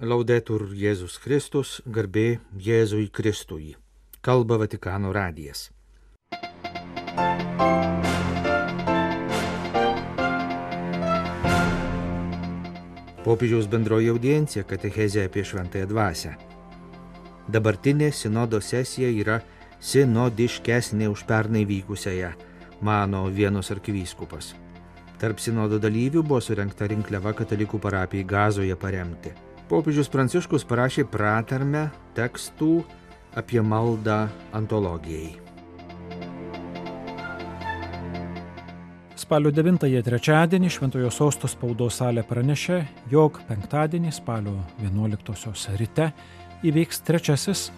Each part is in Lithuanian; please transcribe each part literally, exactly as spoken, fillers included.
Laudetur Jėzus Kristus, garbė Jėzui Kristui. Kalba Vatikano radijas. Popiežiaus bendroji audiencija katechezė apie šventąją dvasią. Dabartinė sinodo sesija yra sinodiškesnė už pernai vykusiąją, mano Vienos arkivyskupas. Tarp sinodo dalyvių buvo surengta rinkliava katalikų parapijai Gazoje paremti. Popiežius Pranciškus parašė pratarmę tekstų apie maldą antologijai. Spalio devintąją trečiadienį Šventojo Sosto spaudos salė pranešė, jog penktadienį spalio vienuoliktosios ryte įvyks trečiasis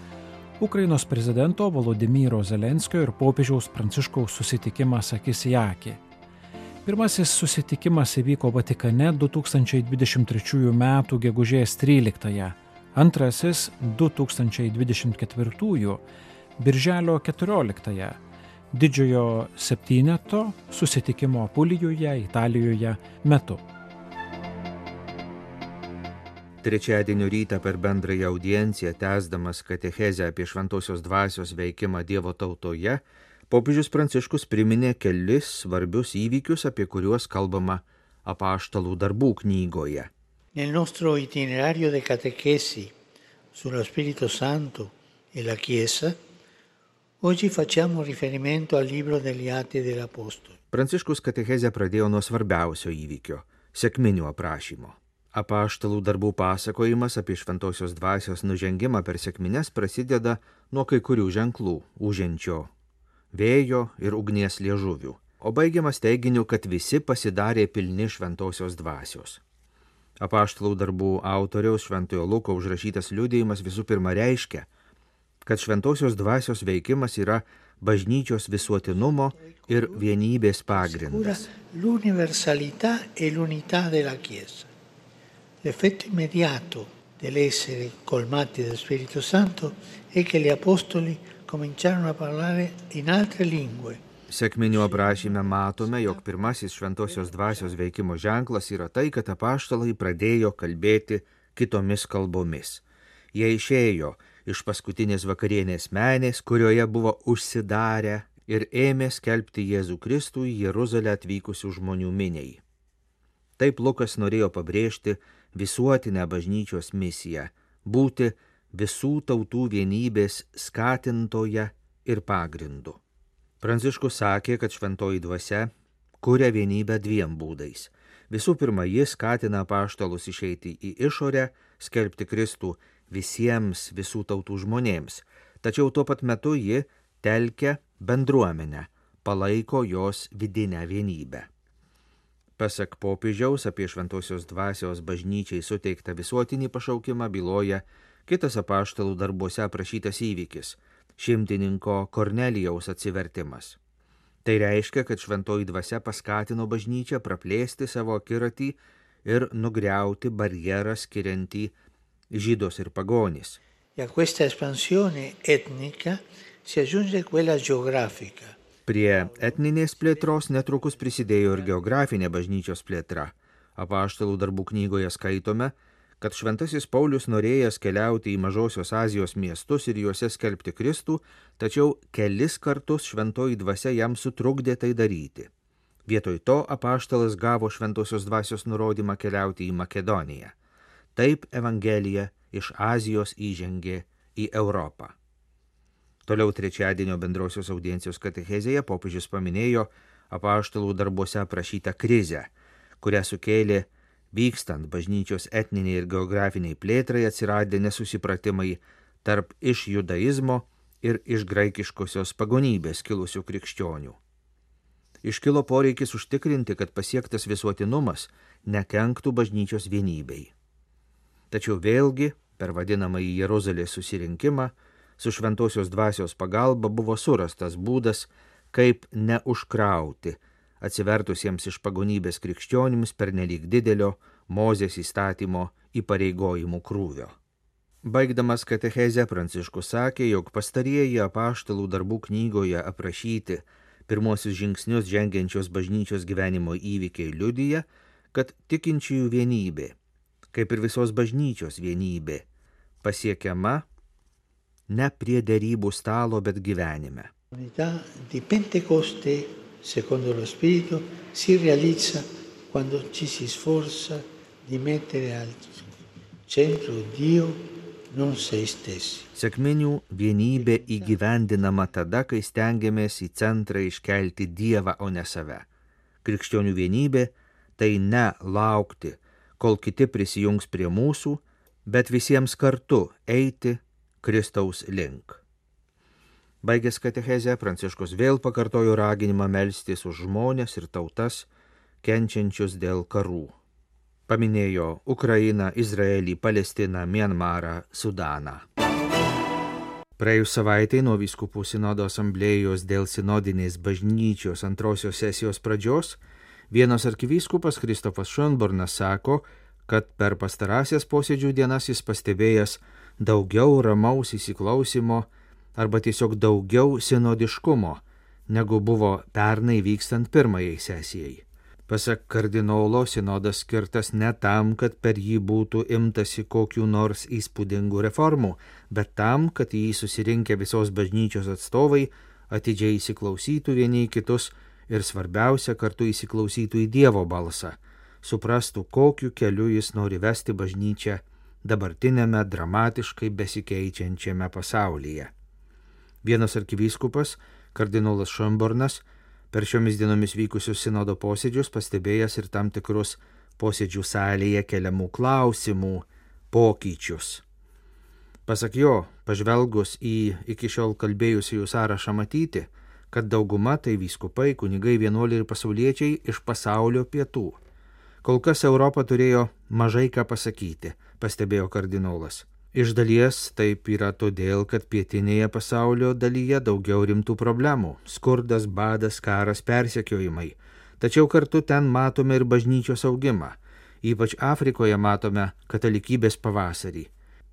Ukrainos prezidento Volodymyro Zelenskio ir popiežiaus Pranciškaus susitikimas akis į akį. Pirmasis susitikimas įvyko Vatikane du tūkstančiai dvidešimt trečiųjų metų gegužės tryliktąją, antrasis du tūkstančiai dvidešimt ketvirtųjų birželio keturioliktąją, didžiojo septyneto susitikimo Apulijoje, Italijoje metu. Trečiadienio rytą per bendrąją audienciją, tęsdamas katechezę apie šventosios dvasios veikimą Dievo tautoje, popiežius Pranciškus priminė kelis svarbius įvykius, apie kuriuos kalbama Apaštalų darbų knygoje. Nel nostro itinerario de catechesi sullo Spirito Santo e la Chiesa, oggi facciamo riferimento al libro degli Atti degli Apostoli. Pranciškus katechezę pradėjo nuo svarbiausio įvykio – sekminių aprašymo. Apaštalų darbų pasakojimas apie šventosios dvasios nužengimą per sekmines prasideda nuo kai kurių ženklų – uženčio, vėjo ir ugnies liežuvių, o baigiamas teiginiu, kad visi pasidarė pilni šventosios dvasios. Apaštalų darbų autoriaus Šventojo Luko užrašytas liudijimas visų pirma reiškia, kad šventosios dvasios veikimas yra bažnyčios visuotinumo ir vienybės pagrindas. L'universalità e l'unità della Chiesa. L'effetto immediato dell'essere colmati dello Spirito Santo è che gli apostoli cominciarono a parlare in altre lingue. Sekminių aprašyme matome, jog pirmasis šventosios dvasios veikimo ženklas yra tai, kad apaštalai pradėjo kalbėti kitomis kalbomis. Jie išėjo iš paskutinės vakarienės menės, kurioje buvo užsidarę, ir ėmė skelbti Jėzų Kristų į Jeruzalę atvykusių žmonių miniai. Taip Lukas norėjo pabrėžti visuotinę bažnyčios misiją – būti visų tautų vienybės skatintoje ir pagrindu. Pranciškus sakė, kad šventoji dvasia kuria vienybę dviem būdais. Visų pirma, jis skatina apaštalus išeiti į išorę, skelbti Kristų visiems visų tautų žmonėms, tačiau tuo pat metu ji telkia bendruomenę, palaiko jos vidinę vienybę. Pasak popiežiaus apie šventosios dvasios bažnyčiai suteiktą visuotinį pašaukimą byloja kitas apaštalų darbuose aprašytas įvykis – šimtininko Kornelijaus atsivertimas. Tai reiškia, kad šventoji dvasia paskatino bažnyčią praplėsti savo akiratį ir nugriauti barjerą skiriantį žydus ir pagonis. E a questa espansione etnica si aggiunge quella geografica. Prie etninės plėtros netrukus prisidėjo ir geografinė bažnyčios plėtra. Apaštalų darbų knygoje skaitome, kad šventasis Paulius norėjęs keliauti į Mažosios Azijos miestus ir juose skelbti Kristų, tačiau kelis kartus šventoji dvasia jam sutrukdė tai daryti. Vietoj to apaštalas gavo šventosios dvasios nurodymą keliauti į Makedoniją. Taip Evangelija iš Azijos įžengė į Europą. Toliau trečiadienio bendrosios audiencijos katechezėje popiežius paminėjo apaštalų darbuose aprašytą krizę, kurią sukėlė vykstant bažnyčios etniniai ir geografiniai plėtrai atsiradę nesusipratimai tarp iš judaizmo ir iš graikiškosios pagonybės kilusių krikščionių. Iškilo poreikis užtikrinti, kad pasiektas visuotinumas nekenktų bažnyčios vienybei. Tačiau vėlgi, per vadinamąjį Jeruzalės susirinkimą, su šventosios dvasios pagalba buvo surastas būdas, kaip neužkrauti atsivertusiems iš pagonybės krikščionims pernelyg didelio Mozės įstatymo įpareigojimų krūvio. Baigdamas katechezę Pranciškus sakė, jog pastarieji apaštalų darbų knygoje aprašyti pirmosius žingsnius žengiančios bažnyčios gyvenimo įvykiai liudija, kad tikinčiųjų vienybė, kaip ir visos bažnyčios vienybė, pasiekiama ne prie derybų stalo, bet gyvenime. L'unità di Pentecoste, secondo lo Spirito, si realizza quando ci si sforza di mettere al centro Dio, non se stessi. Sekminių vienybė įgyvendinama tada, kai stengiamės į centrą iškelti Dievą, o ne save. Krikščionių vienybė tai ne laukti, kol kiti prisijungs prie mūsų, bet visiems kartu eiti Kristaus link. Baigęs katechezę, Pranciškus vėl pakartojo raginimą melstis už žmones ir tautas, kenčiančius dėl karų. Paminėjo Ukrainą, Izraelį, Palestiną, Mianmarą, Sudaną. Praėjus savaitai nuo vyskupų sinodo asamblėjos dėl sinodinės bažnyčios antrosios sesijos pradžios, vienas arkivyskupas Kristofas Schönbornas sako, kad per pastarąsias posėdžių dienas jis pastebėjęs daugiau ramaus įsiklausimo arba tiesiog daugiau sinodiškumo, negu buvo pernai vykstant pirmajai sesijai. Pasak kardinolo, sinodas skirtas ne tam, kad per jį būtų imtasi kokių nors įspūdingų reformų, bet tam, kad jį susirinkę visos bažnyčios atstovai atidžiai įsiklausytų vieni į kitus ir svarbiausia, kartu įsiklausytų į Dievo balsą, suprastų, kokiu keliu jis nori vesti bažnyčią dabartinėme dramatiškai besikeičiančiame pasaulyje. Vienas arkivyskupas, kardinolas Schönbornas, per šiomis dienomis vykusius sinodo posėdžius pastebėjęs ir tam tikrus posėdžių salėje keliamų klausimų pokyčius. Pasak jo, pažvelgus į iki šiol kalbėjusiųjų sąrašą matyti, kad dauguma tai vyskupai, kunigai, vienuoliai ir pasauliečiai iš pasaulio pietų. Kol kas Europa turėjo mažai ką pasakyti, pastebėjo kardinolas. Iš dalies taip yra todėl, kad pietinėje pasaulio dalyje daugiau rimtų problemų – skurdas, badas, karas, persekiojimai. Tačiau kartu ten matome ir bažnyčios augimą. Ypač Afrikoje matome katalikybės pavasarį.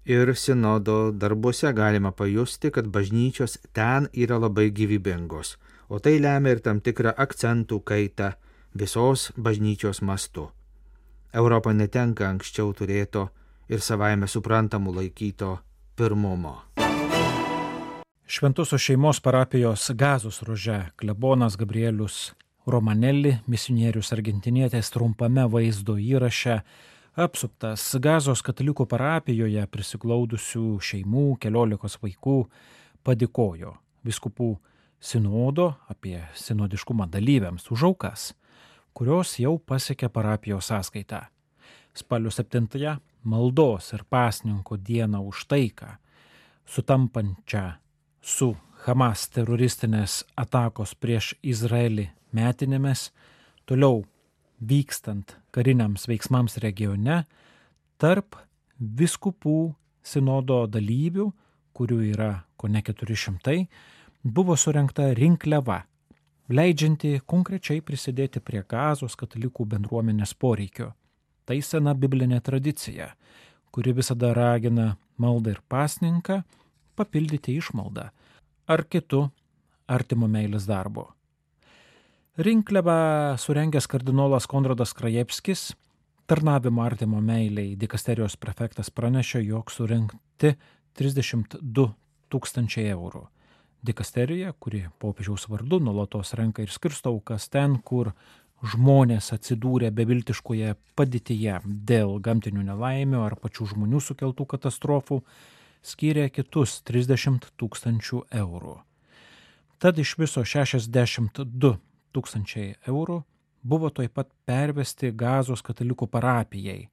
Ir sinodo darbuose galima pajusti, kad bažnyčios ten yra labai gyvybingos, o tai lemia ir tam tikrą akcentų kaitą visos bažnyčios mastu. Europa netenka anksčiau turėto ir savaime suprantamų laikyto pirmumo. Šventosios šeimos parapijos Gazos ruože klebonas Gabrielius Romanelli, misionierius argentinietis, trumpame vaizdo įraše, apsuptas Gazos katalikų parapijoje prisiglaudusių šeimų, keliolikos vaikų, padėkojo vyskupų sinodo apie sinodiškumą dalyviams už aukas, kurios jau pasiekė parapijos sąskaitą. Spalio septintąją maldos ir pasninko dieną už taiką, sutampančią su Hamas teroristinės atakos prieš Izraelį metinėmis, toliau vykstant kariniams veiksmams regione, tarp vyskupų sinodo dalyvių, kurių yra kone keturi šimtai, buvo surengta rinkliava, leidžianti konkrečiai prisidėti prie Gazos katalikų bendruomenės poreikio. Tai sena biblinė tradicija, kuri visada ragina maldą ir pasninką papildyti išmaldą ar kitų artimo meilės darbo. Rinkliavą surengęs kardinolas Konradas Krajevskis, tarnavimo artimo meiliai dikasterijos prefektas, pranešė, jog surinkti trisdešimt du tūkstančiai eurų. Dikasterija, kuri popiežiaus vardu nuolatos renka ir skirsto aukas ten, kur žmonės atsidūrė beviltiškoje padėtyje dėl gamtinių nelaimių ar pačių žmonių sukeltų katastrofų, skyrė kitus trisdešimt tūkstančių eurų. Tad iš viso šešiasdešimt du tūkstančiai eurų buvo taip pat pervesti Gazos katalikų parapijai,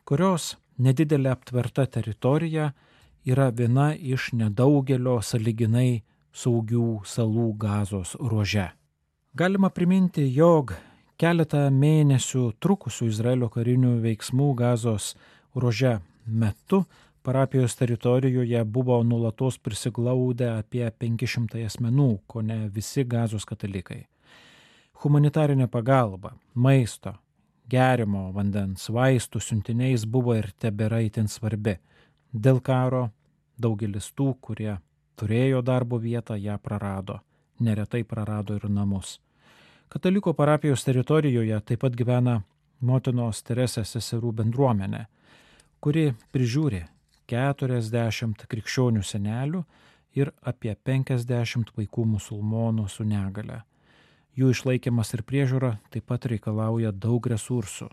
kurios nedidelė aptverta teritorija yra viena iš nedaugelio sąlyginai saugių salų Gazos ruože. Galima priminti, jog keletą mėnesių trukusių Izraelio karinių veiksmų Gazos ruože metu parapijos teritorijoje buvo nuolatos prisiglaudę apie penki šimtai asmenų, kone visi Gazos katalikai. Humanitarinė pagalba, maisto, gerimo vandens, vaistų siuntiniais buvo ir tebėra itin svarbi. Dėl karo daugelis tų, kurie turėjo darbo vietą, ją prarado, neretai prarado ir namus. Kataliko parapijos teritorijoje taip pat gyvena Motinos Teresės seserų bendruomenė, kuri prižiūri keturiasdešimt krikščionių senelių ir apie penkiasdešimt vaikų musulmonų su negale. Jų išlaikymas ir priežiūra taip pat reikalauja daug resursų.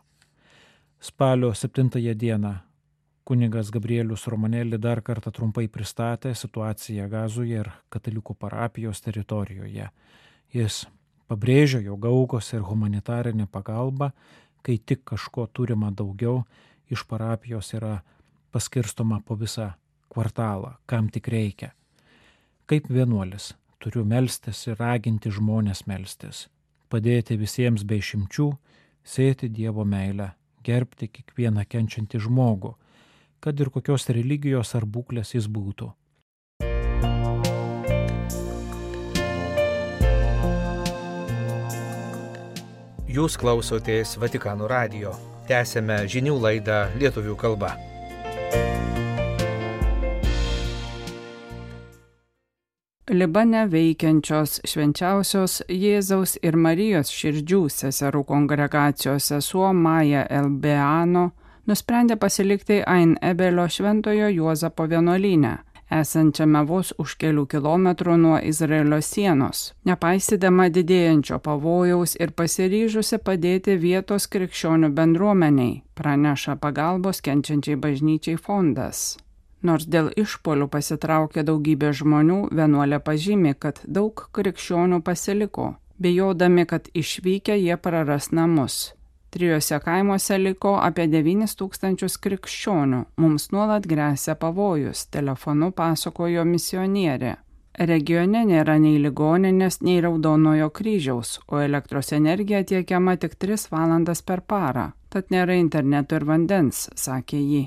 Spalio septintąją dieną kunigas Gabrielius Romanelli dar kartą trumpai pristatė situaciją Gazoje ir katalikų parapijos teritorijoje. Jis pabrėžia, jog aukos ir humanitarinė pagalba, kai tik kažko turima daugiau, iš parapijos yra paskirstoma po visą kvartalą, kam tik reikia. Kaip vienuolis turiu melstis ir raginti žmonės melstis, padėti visiems be išimčių, sėti Dievo meilę, gerbti kiekvieną kenčiantį žmogų, kad ir kokios religijos ar būklės jis būtų. Jūs klausotės Vatikano radijo. Tęsėme žinių laidą lietuvių kalba. Libane veikiančios švenčiausios Jėzaus ir Marijos širdžių seserų kongregacijos sesuo Maja Elbeano nusprendė pasilikti Ain Ebelio šventojo Juozapo vienuolyne, esančiame vos už kelių kilometrų nuo Izraelio sienos, nepaisydama didėjančio pavojaus ir pasiryžusi padėti vietos krikščionių bendruomeniai, praneša pagalbos kenčiančiai bažnyčiai fondas. Nors dėl išpuolių pasitraukė daugybė žmonių, vienuolė pažymi, kad daug krikščionių pasiliko, bijodami, kad išvykę jie praras namus. Trijose kaimuose liko apie devynis tūkstančius krikščionių. Mums nuolat gresia pavojus, telefonu pasakojo misionierė. Regione nėra nei ligoninės, nei Raudonojo kryžiaus, o elektros energija tiekiama tik tris valandas per parą. Tad nėra interneto ir vandens, sakė ji.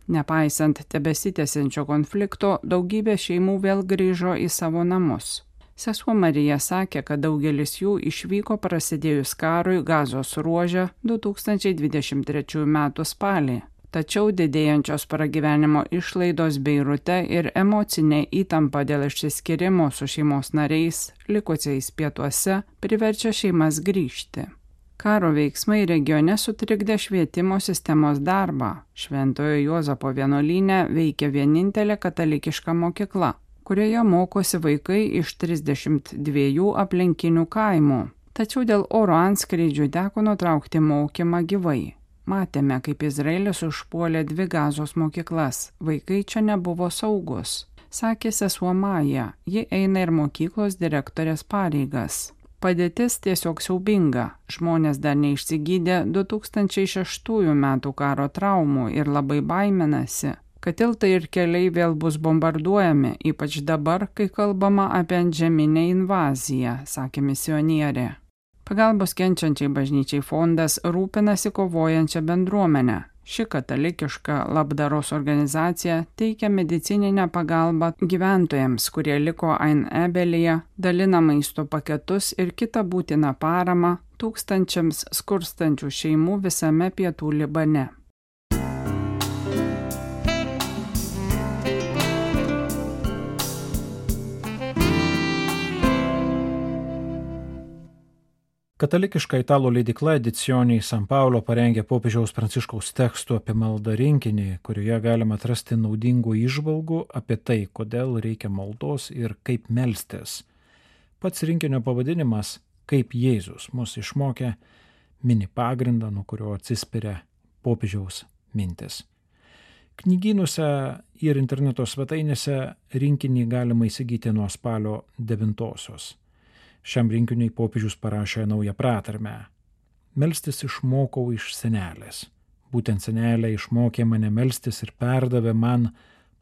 Nepaisant tebesitęsiančio konflikto, daugybė šeimų vėl grįžo į savo namus. Sesuo Marija sakė, kad daugelis jų išvyko prasidėjus karui Gazos ruože du tūkstančiai dvidešimt trečiųjų metų spalį. Tačiau didėjančios pragyvenimo išlaidos Beirute ir emocinė įtampa dėl išsiskyrimo su šeimos nariais, likusiais pietuose, priverčia šeimas grįžti. Karo veiksmai regione sutrikdė švietimo sistemos darbą. Šventojo Juozapo vienuolyne veikia vienintelė katalikiška mokykla, kurioje mokosi vaikai iš trisdešimt dviejų aplinkinių kaimų. Tačiau dėl oro antskrydžių teko nutraukti mokymą gyvai. Matėme, kaip Izraelis užpuolė dvi Gazos mokyklas. Vaikai čia nebuvo saugus, sakė sesuo Maja. Ji eina ir mokyklos direktorės pareigas. Padėtis tiesiog siaubinga. Žmonės dar neišsigydė du tūkstančiai šeštųjų metų karo traumų ir labai baiminasi, kad tiltai ir keliai vėl bus bombarduojami, ypač dabar, kai kalbama apie antžeminę invaziją, sakė misionierė. Pagalbos kenčiančiai bažnyčiai fondas rūpinasi kovojančią bendruomenę. Ši katalikiška labdaros organizacija teikia medicininę pagalbą gyventojams, kurie liko Ain Ebelyje, dalina maisto paketus ir kitą būtiną paramą tūkstančiams skurstančių šeimų visame pietų Libane. Katalikiška italų leidykla Edizioni San Paolo parengė popiežiaus Pranciškaus tekstų apie maldą rinkinį, kurioje galima atrasti naudingų įžvalgų apie tai, kodėl reikia maldos ir kaip melstis. Pats rinkinio pavadinimas Kaip Jėzus mus išmokė mini pagrindą, nuo kurio atsispiria popiežiaus mintis. Knygynuose ir interneto svetainėse rinkinį galima įsigyti nuo spalio devintosios. Šiam rinkiniui popiežius parašė naują pratarmę. Melstis išmokau iš senelės. Būtent senelė išmokė mane melstis ir perdavė man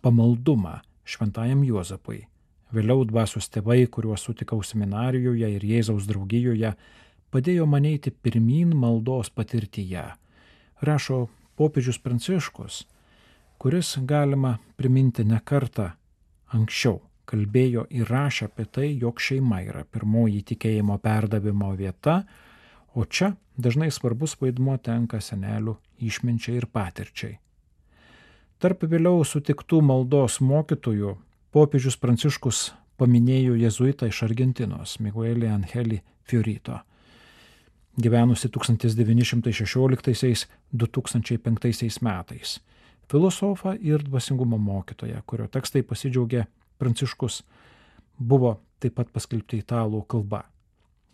pamaldumą šventajam Juozapui. Vėliau dvasios tėvai, kuriuos sutikau seminarijoje ir Jėzaus draugijoje, padėjo man eiti pirmyn maldos patirtyje, rašo popiežius Pranciškus, kuris galima priminti ne kartą anksčiau. Kalbėjo ir rašė apie tai, jog šeima yra pirmoji tikėjimo perdavimo vieta, o čia dažnai svarbus vaidmuo tenka senelių išminčiai ir patirčiai. Tarp vėliau sutiktų maldos mokytojų popiežius Pranciškus paminėjo jėzuitą iš Argentinos, Miguelį Angelį Fiorito. gyvenusi tūkstantis devyni šimtai šešioliktaisiais - du tūkstančiai penktaisiais metais. Filosofą ir dvasingumo mokytoją, kurio tekstai pasidžiaugė Pranciškus, buvo taip pat paskelbti italų kalba.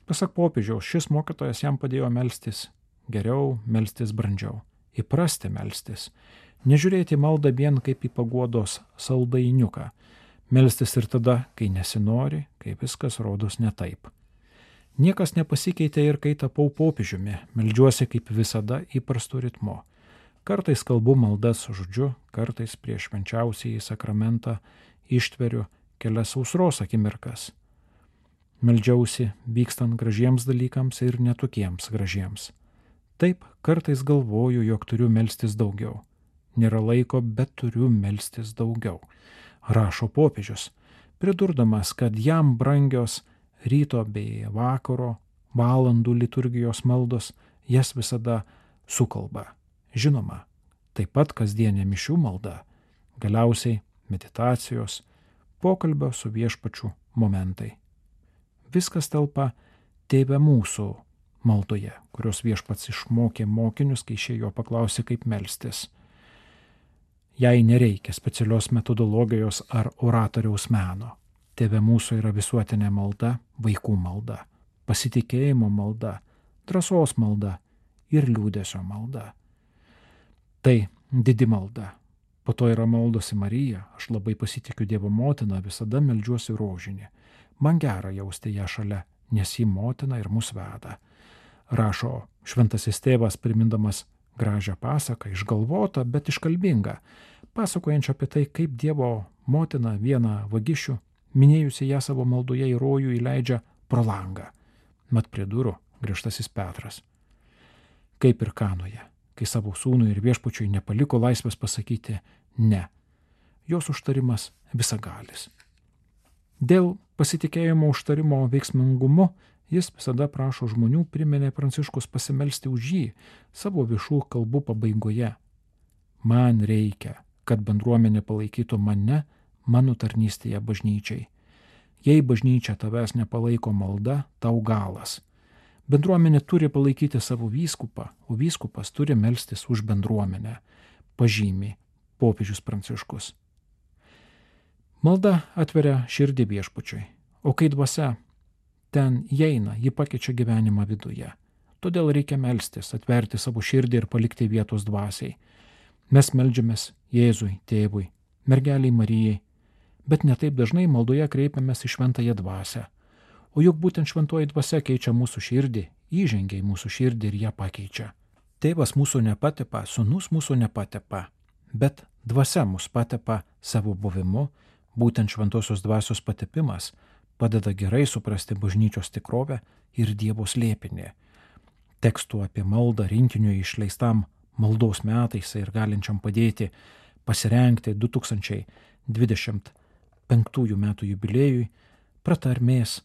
Pasak popiežiaus, šis mokytojas jam padėjo melstis geriau, melstis brandžiau, įprasti melstis, nežiūrėti maldą vien kaip į paguodos saldainiuką, melstis ir tada, kai nesinori, kai viskas rodos ne taip. Niekas nepasikeitė ir kai tapau popiežiumi, meldžiuosi kaip visada įprastu ritmu. Kartais kalbu maldas žodžiu, kartais prieš švenčiausiąjį sakramentą ištveriu kelias sausros akimirkas. Meldžiausi vykstant gražiems dalykams ir netokiems gražiems. Taip, kartais galvoju, jog turiu melstis daugiau. Nėra laiko, bet turiu melstis daugiau, rašo popiežius, pridurdamas, kad jam brangios ryto bei vakaro valandų liturgijos maldos jas visada sukalba. Žinoma, taip pat kasdienė mišių malda, galiausiai meditacijos, pokalbio su viešpačiu momentai. Viskas telpa Tėve mūsų maldoje, kurios viešpats išmokė mokinius, kai šie jo paklausė, kaip melstis. Jai nereikia specialios metodologijos ar oratoriaus meno. Tėve mūsų yra visuotinė malda, vaikų malda, pasitikėjimo malda, drąsos malda ir liūdesio malda. Tai didi malda. Po to yra maldos į Mariją, aš labai pasitikiu Dievo motiną, visada meldžiuosi rožinį. Man gera jausti ją šalia, nes ji motina ir mus veda. Rašo šventasis tėvas, primindamas gražią pasaką, išgalvotą, bet iškalbingą, pasakojančią apie tai, kaip Dievo motina vieną vagišių, minėjusi ją savo maldoje į rojų, įleidžia pro langą. Mat prie durų griežtasis Petras. Kaip ir Kanoje, kai savo sūnui ir viešpačiui nepaliko laisvės pasakyti ne. Jos užtarimas visagalis. Dėl pasitikėjimo užtarimo veiksmingumu jis visada prašo žmonių, priminė Pranciškus, pasimelsti už jį savo viešų kalbų pabaigoje. Man reikia, kad bendruomenė palaikytų mane mano tarnystėje bažnyčiai. Jei bažnyčia tavęs nepalaiko malda, tau galas. Bendruomenė turi palaikyti savo vyskupą, o vyskupas turi melstis už bendruomenę, pažymi popiežius Pranciškus. Malda atveria širdį viešpačiui, o kai dvasia ten įeina, ji pakeičia gyvenimą viduje. Todėl reikia melstis, atverti savo širdį ir palikti vietos dvasiai. Mes meldžiamės Jėzui, Tėvui, mergeliai Marijai, bet netaip dažnai maldoje kreipiamės į šventąją dvasią. O juk būtent šventoji dvasia keičia mūsų širdį, įžengia į mūsų širdį ir ją pakeičia. Tėvas mūsų nepatepa, sūnus mūsų nepatepa, bet dvasia mus patepa savo buvimu, būtent šventosios dvasios patepimas padeda gerai suprasti bažnyčios tikrovę ir Dievo slėpinį. Tekstų apie maldą rinkiniui išleistam maldos metais ir galinčiam padėti pasirengti du tūkstančiai dvidešimt penktųjų metų jubiliejui pratarmės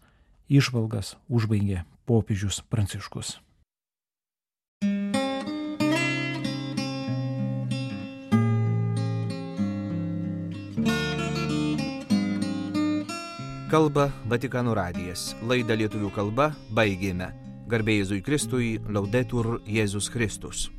įžvalgas užbaigė popiežius Pranciškus. Kalba Vatikano radijas. Laidą lietuvių kalba baigėme. Garbė Jėzui Kristui, Laudetur Jėzus Kristus.